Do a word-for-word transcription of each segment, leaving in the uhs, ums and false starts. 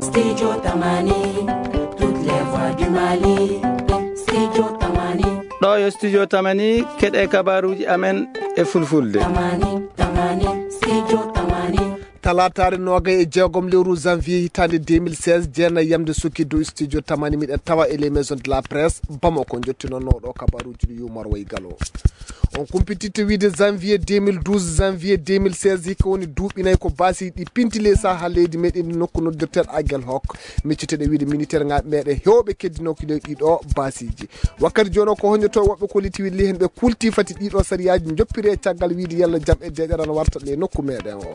Studio Tamani, toutes les voix du Mali. Studio Tamani. Ɗoo yo Studio Tamani, keɗee kabaaruuji amen e fulfulde. Tamani, Tamani, Studio Tamani. Talaataare noogay e jeegom lewru janvier hitaande deux mille seize, jeenay yamde sukki dow Studio Tamani, miɗen tawa e les maisons de la presse Bamako, njottinoo ɗoo kabaaruuji ɗi Yumar Way Galo. On kumpititte wiide janvier deux mille douze, janvier deux mille seize, hikka woni duuɓi nay ko baasi ɗi pinti ley saha leydi meɗen ndi, nokku noddirteeɗo Agel Hok. Micciteɗe wiide militeer ŋaaɓe meɗen heewɓe keddinoo ko ley ɗiɗo baasiiji. Wakkati jooni o ko honjoto woɓɓe kolliti wiide ley hen ɓe kulti fati ɗiɗo sariyaaji njoppiree caggal wiide yalla jam e deeƴere ana warta ley nokku meɗen o.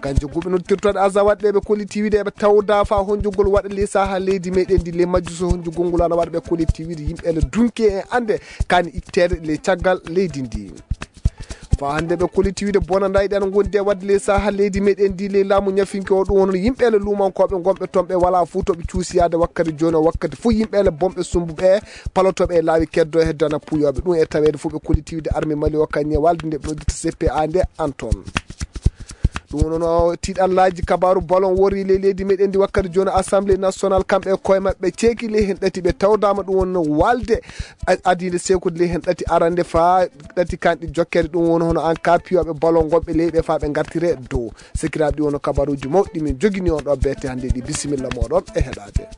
Kanjum guɓe noddirtooɗe Aza waɗde ɓe kolliti wiide eɓe tawda faa honjugol waɗa ley saha leydi meɗen ndi, ley majju so honjugol ngol ana waɗa ɓe kolliti wiide yimɓe ele dunki e ande kaani itteede ley caggal leydi ndi. Faa hannde ɓe kolliti wiide bonandaaji ɗi ana ngondi e waɗde ley saha leydi meɗen ndi ley laamu ñafinke o, ɗum woni yimɓe ele luumankooɓe ngonɓe toon ɓe walaa fuu to ɓe cuusi yaade wakkati jooni o, wakkati fuu yimɓe ele bonɓe sumbuɓe palotooɓe e laawi keddo e hedde ana puuyooɓe ɗum e taweede fuu ɓe kolliti wiide armée Mali o kañum e walde nde ɓe noddirta C P A nde Antoine. Ɗum woni no tiiɗallaaji kabaaru ballon worri ley leydi meɗen ndi wakkati jooni. Assemblée nationale kamɓe e koye maɓɓe ceeki ley heen ɗati ɓe tawdaama ɗum woni no walde a- adiinde seekude ley heen ɗati arande faa ɗati kanɗi jokkere ɗum woni hono an ka piyooɓe ballon gonɓe ley ɓe faa ɓe ngartire dow. Sekiraaɓe ɗi woni kabaaruuji mawɗi min jogini on ɗo beete hannde ɗi. Bisimilla mooɗon e heɗaade.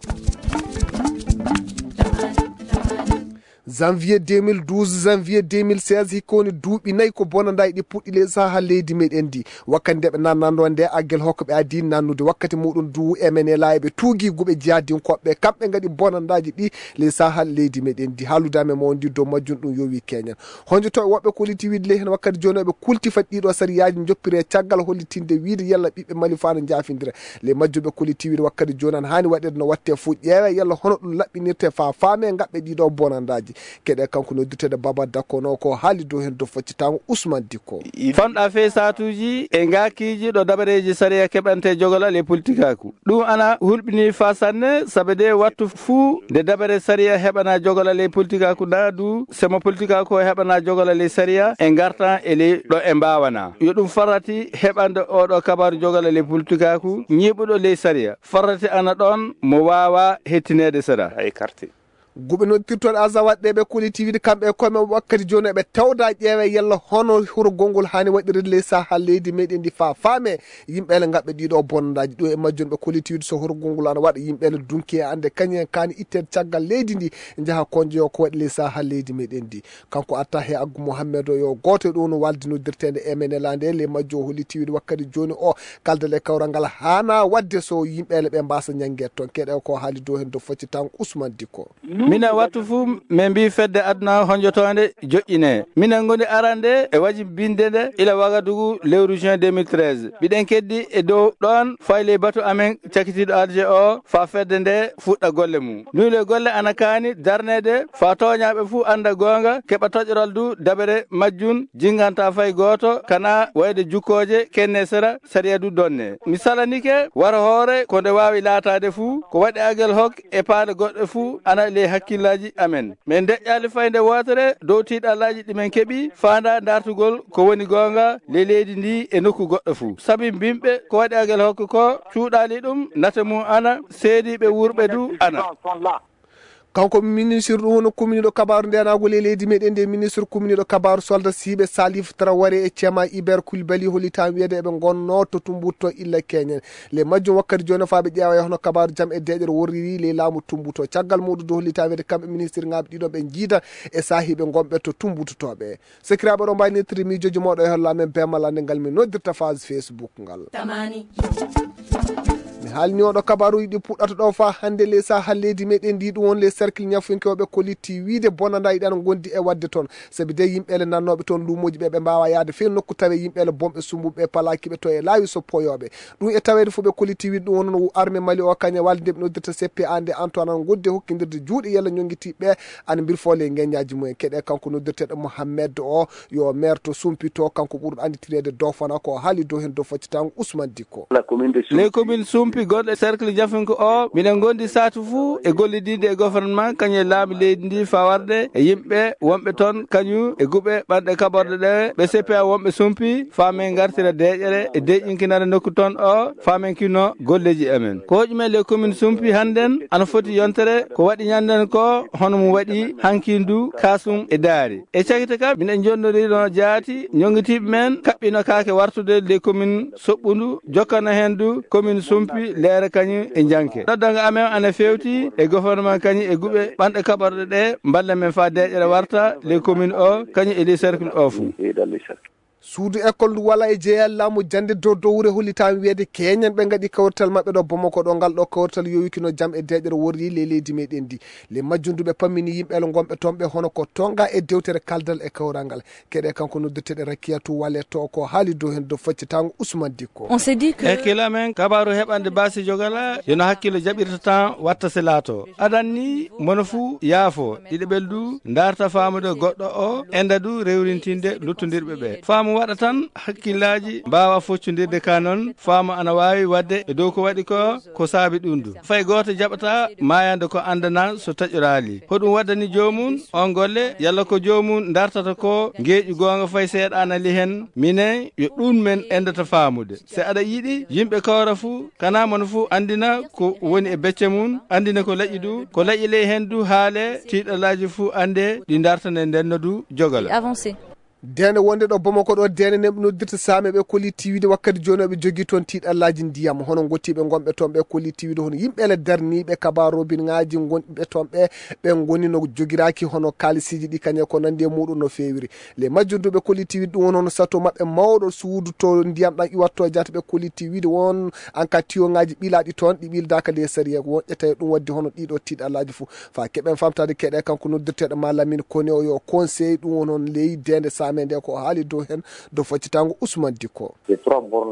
Janvier deux mille douze, janvier deux mille seize, hikka woni duuɓi nayi ko bonandaaji ɗi puɗɗi ley saha leydi meɗen ndi. Wakkati nde ɓe nannandoo nde Agel Hok ɓe adii nannude wakkati muɗum du M N L A eɓe tuugi guɓe jihadinkooɓe kamɓe ngaɗi bonandaaji ɗi ley saha leydi meɗen ndi. Haalude amen mo wondi dow majjum ɗum yowi keñen. Honjoto e woɓɓe kolliti wiide ley heen wakkati jooni eɓe kulti fati ɗiɗo sariyaaji njoppiree caggal hollitinde wiide yalla ɓiɓɓe Mali faa no njaafindira. Ley majjum ɓe kolliti wiide wakkati jooni ana haani waɗeede no waɗtee fuu ƴeewee yalla hono ɗum laɓɓinirtee faa faamee ngaɓɓe ɗiɗo bonandaaji. Keɗee kanko noddirteeɗo Baba Dakko no ko haali dow heen dow foccitaango Ousmane Dikko. Fanɗa fey saatuuji e ngaakiiji ɗo dabareeji sariya keɓantee jogola ley politikaaku. Ɗum ana hulɓinii faa sanne, sabe de wattu fuu nde dabare sariya heɓanaa jogola ley politikaaku, naa du semo politikaaku o heɓanaa jogola ley sariya, e ngartan e ley ɗo e mbaawanaa. Yo ɗum farrati heɓande oo ɗoo kabaaru jogola ley politikaaku ñiiɓuɗo ley sariya. Farrati ana ɗoon mo waawaa hettineede seɗa. Ay karte. Guɓe noddirtooɗe Aza waɗde ɓe kolliti wiide kamɓe e koye maɓɓe wakkati jooni eɓe tawda ƴeewa yalla hono hurgol ngol haani waɗirde ley saha leydi meɗen ndi faa faame yimɓe ele ngaɓɓe ɗiɗo bonnandaaji. Ɗum e majjum ɓe kolliti wiide so hurgol ngol ana waɗa yimɓe ele dunki e annde kañum en kaani itteede caggal leydi ndi njaha konjoyo ko waɗi ley saha leydi meɗen ndi. Kanko Attahe Aggu Mohammed o yo gooto e ɗum no walde noddirteende M N L A nde ley majjum o holliti wiide wakkati jooni o kaldal e kawral ngal haana waɗde so yimɓe ele ɓe mbaasa ñanngeede toon. Keɗee ko haali dow heen dow foccitaango Ousmane Dikko. Minen wattu fuu min mbii fedde aduna honjotoonde joƴƴinee. Minen ngoni arande e wajibinde nde ila Wagadugu lewru juin deux mille treize. Mbiɗen keddi e dow ɗoon fay ley batu amen cakitiiɗo Alger o faa fedde nde fuɗɗa golle mum. Nuyɗe golle ana kaani darneede faa tooñaaɓe fuu annda goonga, keɓa toƴoral du dabere majjum jinnganta fay gooto, kana wayde jukkooje kenne sera sariya du donne. Mi salanike wara hoore ko nde waawi laataade fuu, ko waɗi Agel Hok e paale goɗɗe fuu ana ley hakkillaaji amen. Min deƴƴaali fay nde wootere dow tiiɗallaaji ɗi min keɓi faandaa ndaartugol ko woni goonga ley leydi ndi e nokku goɗɗo fuu. Sabi mbimɓe ko waɗi Agel Hok ko cuuɗaali ɗum, nate mum ana, seediiɓe wuurɓe du ana. Kanko ministre ɗum woni kuminiiɗo kabaaru ndeenaagu ley leydi meɗen ndi, ministre kuminiiɗo kabaaru soldat siiɓe Salif Traoré e Cema Iber Kulbali hollitaa wiyeede eɓe ngonnoo to Tumbutu illa keñen. Ley majjum wakkati jooni faa ɓe ƴeewa e hono kabaaru jam e deeƴere worriri ley laamu Tumbutu. Caggal muɗum du hollitaa wiyeede kamɓe ministre ŋaaɓe ɗiɗo ɓe njiida e saahiiɓe ngonɓe to Tumbutu to ɓe. Sekiraaɓe, oɗon mbaawi nettiri miijooji mooɗon e holla amen beemal annde ngal min noddirta page Facebook ngal. Tamani. Mi haalni oɗo kabaaruuji ɗi puɗɗata ɗo faa hannde ley saha leydi meɗen ndi ɗum woni ley cercle ñafunkewɓe kolliti wiide bonandaaji ɗi ana ngondi e waɗde toon. Sabi de yimɓe ele nannooɓe toon luumooji ɓe ɓe mbaawa yaade fey nokku tawe yimɓe ele bonɓe sumbuɓe palaaki ɓe to e laawi so poyooɓe. Ɗum e taweede fuu ɓe kolliti wiide ɗum woni no armée Mali o kañum e walde nde ɓe noddirta C P A nde Antoine ana ngondi e hokkindirde juuɗe yalla ñonngitiiɓe ana mbirfoo ley ngeññaaji mumen. Keɗee kanko noddirteeɗo Mohamed o yo maire to Sumpito, kanko ɓurɗo annditireede Dofana, ko o haali dow heen dow foccitaango Ousmane Dikko. La commune de Sumpi. Les communes Sumpi. Gonɗo e cercle Jafinko o, miɗen ngondi saatu fuu e gollidinde e gouvernement kañum e laamu leydi ndi faa warde e yimɓe wonɓe toon kañum e guɓe ɓanɗe kaɓorɗe ɗe ɓe C P A wonɓe sumpi faa men ngartira deeƴere e deeƴinkinare nokku toon o faa men kinno golleeji amen. Ko hoƴumen les communes sumpi hannden ana foti yontere ko waɗi ñannden ko hono mum waɗi hankindu kaasum e daari. E cakite ka miɗen njonnodiri no jaati ñonngitiiɓe men kaɓɓino kaake wartude les communes soɓɓundu jokkana heen du commune sumpi leere kañum e njanke. Noddango amen ana fewti e gouvernement kañum e guɓe ɓanɗe kaɓorɗe ɗe mballa men faa deeƴere warta les communes o kañum e les cercle o fuu. Suudu ekkol ndu wala e jeeya laamu jannde dow dowre hollitaama wiyeede keeñen ɓe ngaɗi kawrital maɓɓe ɗo Bamako ɗo ngal ɗo kawrital yowikino jam e deeƴere worri ley leydi meɗen ndi. Ley majjum ndu ɓe pammini yimɓe gonɓe toon ɓe hono ko tonga e dewtere kaldal e kawral ngal. Keɗe kanko noddirteɗe Rakiyatu Wale to ko haali dow heen dow faccitaango Usman Dikko. Hakkille amen kabaaru heɓande baasi jogala yono hakkille jaɓirta tan watta se laato adan ni mono fuu yaafo ɗiɗaɓel du ndaarta faamude goɗɗo o enda du rewrintinde luttondirɓe ɓe faamu waɗa tan hakkillaaji mbaawa foccondirde ka noon faamu ana waawi waɗde e dow ko waɗi ko ko saabi ɗum du fay gooto jaɓata maayande ko anndana so taƴoraali hoɗum waddani joomum on golle yalla ko joomum ndartata ko ngeeƴu goonga fay seeɗa ana li heen minen yo ɗum men enndata faamude si aɗa yiɗi yimɓe kawra fuu kana mono fuu anndina ko woni e becce mum anndina ko laƴi du ko laƴi ley heen du haale tiiɗalaaji fuu annde ɗi ndartane ndenno du jogala. Deende wonde ɗo Bamako ɗo deende ne noddirta saame ɓe kolli tiiwide wakkati jooni ɓe jogii toon tiiɗallaaji ndiyam hono ngottiiɓe ngonɓe toon ɓe kolli tiiwide hono yimɓe le darniiɓe kabaa robinŋaaji ngonɓe toon ɓe ɓe ngoni no jogiraaki hono kaalisiiji ɗi kañe ko nanndi e muuɗum no feewiri. Ley majjum du ɓe kolli tiiwide ɗum woni hono sato maɓɓe mawɗo suudu to ndiyam ɗam iwatto jaata ɓe kolli tiiwide won an ka tiyoŋaaji ɓilaaɗi toon ɗi ɓildaaka ley sariya won ƴetta e ɗum waɗde hono ɗiɗo tiiɗallaaji fof. Faa keɓen faamtaade keɗe kanko noddirteeɗo ma Lamine Kone o yo conseil ɗum woni hono ley deende saame nde ko o haali dow heen dow faccitaango Usman Dikko.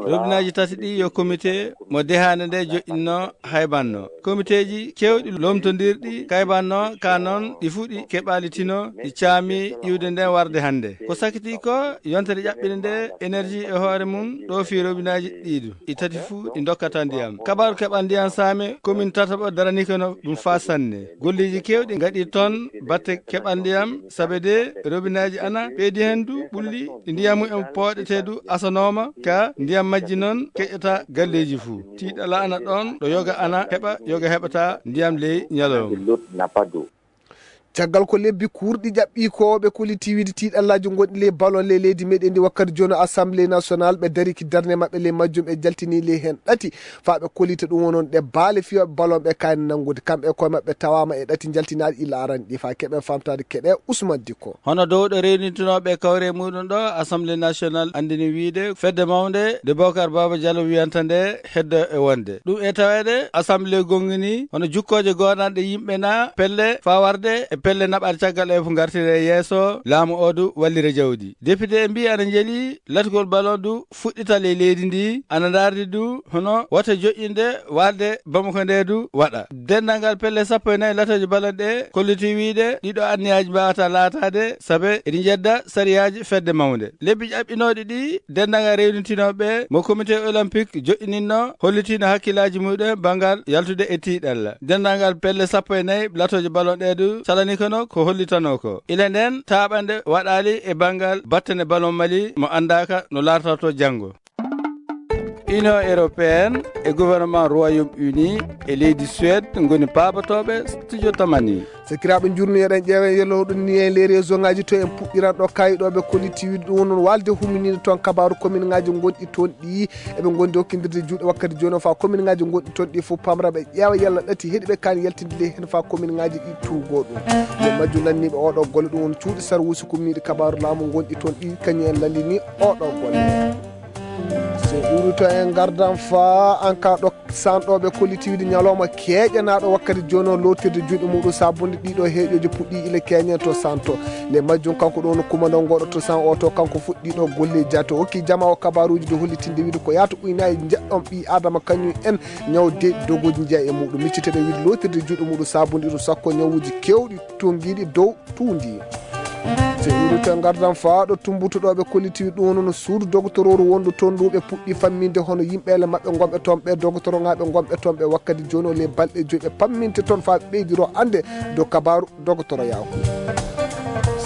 Robinaaji tati ɗi yo komite mo dehaande nde joƴƴinno haybannoo. Komiteeji keewɗi lomtondirɗi kaybannoo ka noon ɗi fuu ɗi keɓaali tino ɗi caami iwde nden warde hannde. Ko sakitii ko yontere ƴaɓɓinde nde energie e hoore mum ɗo fii robinaaji ɗiɗu. Ɗi tati fuu ɗi ndokkata ndiyam kabaaru keɓal ndiyam saame komin tataɓo daraniike no ɗum faa sanne golleeji keewɗi ngaɗii toon batte keɓal ndiyam sabe de robinaaji ana ɓeydi heen du ɓulli ɗi ndiyam mumen pooɗetee du asanooma ka ndiyam majji noon keƴata galleeji fuu tiiɗala ana ɗoon ɗo yoga ana heɓa yoga heɓata ndiyam ley ñalawma. Caggal ko lebbi kuurɗi ƴaɓɓii ko ɓe kolli tiiwiide tiiɗallaaji ngonɗi ley balon ley leydi meɗen ndi wakkati jooni assemblée national ɓe dariki darnde maɓɓe ley majjum ɓe jaltini ley heen ɗati faa ɓe kollita ɗum wonon ɗe baale fiyooɓe balon ɓe kaani nanngude kamɓe e koye maɓɓe tawaama e ɗati jaltinaaɗi illa arani ɗi faa keɓen faamtaade keɗe Usman Dikko. Hono dowɗo rewnitinooɓe kawre muuɗum ɗo assemblée national anndini wiide fedde mawnde nde Bokar Baaba Jalo wiyanta nde heddo e wonde ɗum e taweede assemblée gonngini hono jukkooje goonanɗe yimɓe na pelle faa warde e pelle naɓaade caggal e fof ngartire yeeso laamu oo du wallira jawdi député en mbii ana njeli latgol ballon du fuɗɗita ley leydi ndi ana ndaardi du hono wota joƴƴinde waalde bamako nde du waɗa denndangal pelle sappo e nayi latooje ballon ɗe kolliti wiide ɗiɗo anniyaaji mbaawata laataade sabe eɗi njedda sariyaaji fedde mawnde lebbi ƴaɓɓinooɗi ɗi denndangal rewnitinooɓe mo comité olympique joƴƴininno hollitiino hakkillaaji muɗum banngal yaltude e tiiɗalla denndangal pelle sappo e nayi latooje ballon ɗe du calani kono ko hollitanoo ko ila nden taaɓande waɗaali e banngal battane ballon mali mo anndaaka no laartortoo janngo. Union européenne e gouvernement Royaume-Uni e leydi Suède ngoni paabotooɓe studio tamani. Sakiraaɓe njurni eɗen ƴeewa en yellotoɗon ni e ley réseau ngaji to en puɗɗiran ɗo kayi ɗo ɓe kolliti wiide ɗum woni waalde hummininde toon kabaaru commune ngaji gonɗi toon ɗi eɓe ngondi hokkindirde juuɗe wakkati jooni o faa commune ngaji gonɗi toon ɗi fof pamra ɓe ƴeewa yalla ɗati heɗi ɓe kaani yaltinde ley heen faa commune ngaji ɗi tuugoo ɗum. Nde majjum lanniiɓe oɗo golle ɗum woni cuuɗi sarwuusi kumniiɗi kabaaru laamu gonɗi toon ɗi kañum en lallini oɗo golle. So ɓuri to en ngardan faa an ka ɗo sanɗooɓe kollitiiwde ñalawma keeƴanaaɗo wakkati jooni o lootirde juuɗe muɗum saabunde ɗiɗo heeƴooji puɗɗii ila keeñen to santo. Nde majjum kanko ɗo woni kumandoo ngooɗo to san oto kanko fuɗɗiiɗo golle jaate o hokki jama o kabaaruuji ɗi hollitinde wiide ko yaata uynaaji njeɗɗon ɓii aadama kañum en ñaw de dogooji njeya e muɗum micciteɗo wiide lootirde juuɗe muɗum saabunde ɗum sakko ñawuuji keewɗi tunngiiɗi dow tuundi. Iwri to ngardan faa ɗo tumbutuɗo ɓe kollitiwi ɗum woni no suudu dogotororu wondu toon ndu ɓe puɗɗi famminde hono yimɓeele maɓɓe ngonɓe toon ɓe dogotoroŋaaɓe ngonɓe toon ɓe wakkati jooni o ley balɗe joyi ɓe pamminte toon faa ɓe ɓeydiro annde dow kabaaru dogotoroyaaku.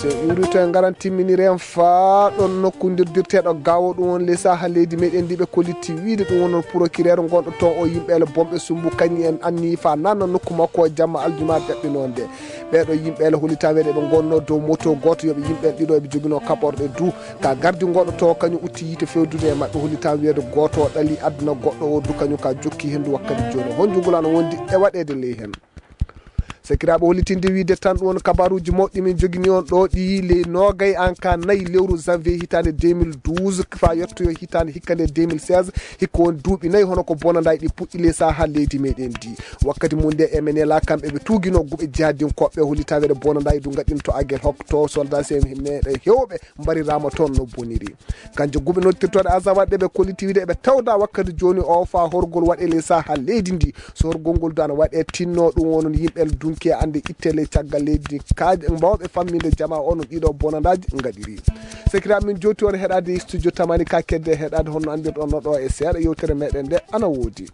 So iwri to e ngaran timminiri en faa ɗon nokku ndirdirteeɗo gaawo ɗum woni ley saha leydi meɗen ndi ɓe kolliti wiide ɗum woni procureur ngonɗo toon o yimɓeele bonɓe sumbu kañi en anni faa nanna nokku makko o jamma aljuma jaɓɓinoo nde. Ɓeeɗo yimɓe ele hollitaa weeɗe ɓe ngonnoo dow moto gooto yoɓe yimɓe ɗiɗo eɓe joginoo kaɓorɗe du ka gardi goɗɗo to kañum utti yiite fewdude e maɓɓe hollitaa weeɗe gooto o ɗali aduna goɗɗo o du kañum ka jokki henndu wakkati jooni honjugol ana wondi e waɗeede ley heen. Sakiraaɓe hollitinde wiide tan ɗum won kabaruuji mawɗi min jogini on ɗo ɗi ley noogay en ka nayi lewru janvier hitaande deux mille douze faa yettoyo hitaande hikka nde deux mille seize. Hikka won duuɓi nayi hono ko bonandaay ɗi puɗɗi ley saha leydi meɗen ndi. Wakkati mum nde M N L A kamɓe ɓe tuuginoo guɓe jihadinkooɓe hollitaweede bonandaay du ngaɗinto agel hokto soldat meɗen hewɓe mbariraama toon no boniri. Kanjo guɓe noddirtooɗe azawaɗ ɗe ɓe kolliti wiide eɓe tawda wakkati jooni o faa horgol waɗe ley saha leydi ndi. So horgol ngol du ana waɗe tinno ɗum wonon yimɓe dunki e annde itte ley caggal leydi kaaje mbawɓe famminde jama o no ɗiɗo bonandaaji ngaɗiri. Sekira min jowti on heɗaade studio tamani ka kedde heɗaade honno anndirɗon no ɗo e seeɗa yewtere meɗen nde ana woodi.